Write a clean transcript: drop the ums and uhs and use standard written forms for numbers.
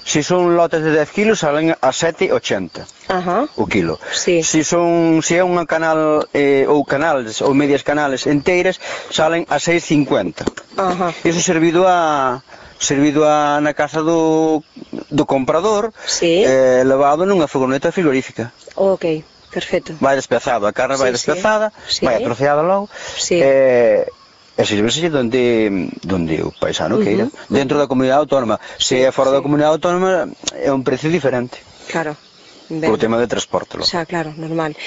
Si son lotes de 10 kilos salen a 7,80 o kilo. Si é unha canal ou canales ou medias canales enteiras salen a 6,50. Iso servido na casa do comprador, levado nunha furgoneta frigorífica. Ok, perfecto. Vai despezado, a carne vai despezada, vai atroceada logo, e sirvese donde o paisano queira, dentro da comunidade autónoma. Se é fora da comunidade autónoma é un precio diferente. Claro. Por tema de transporte. Xa, claro, normal.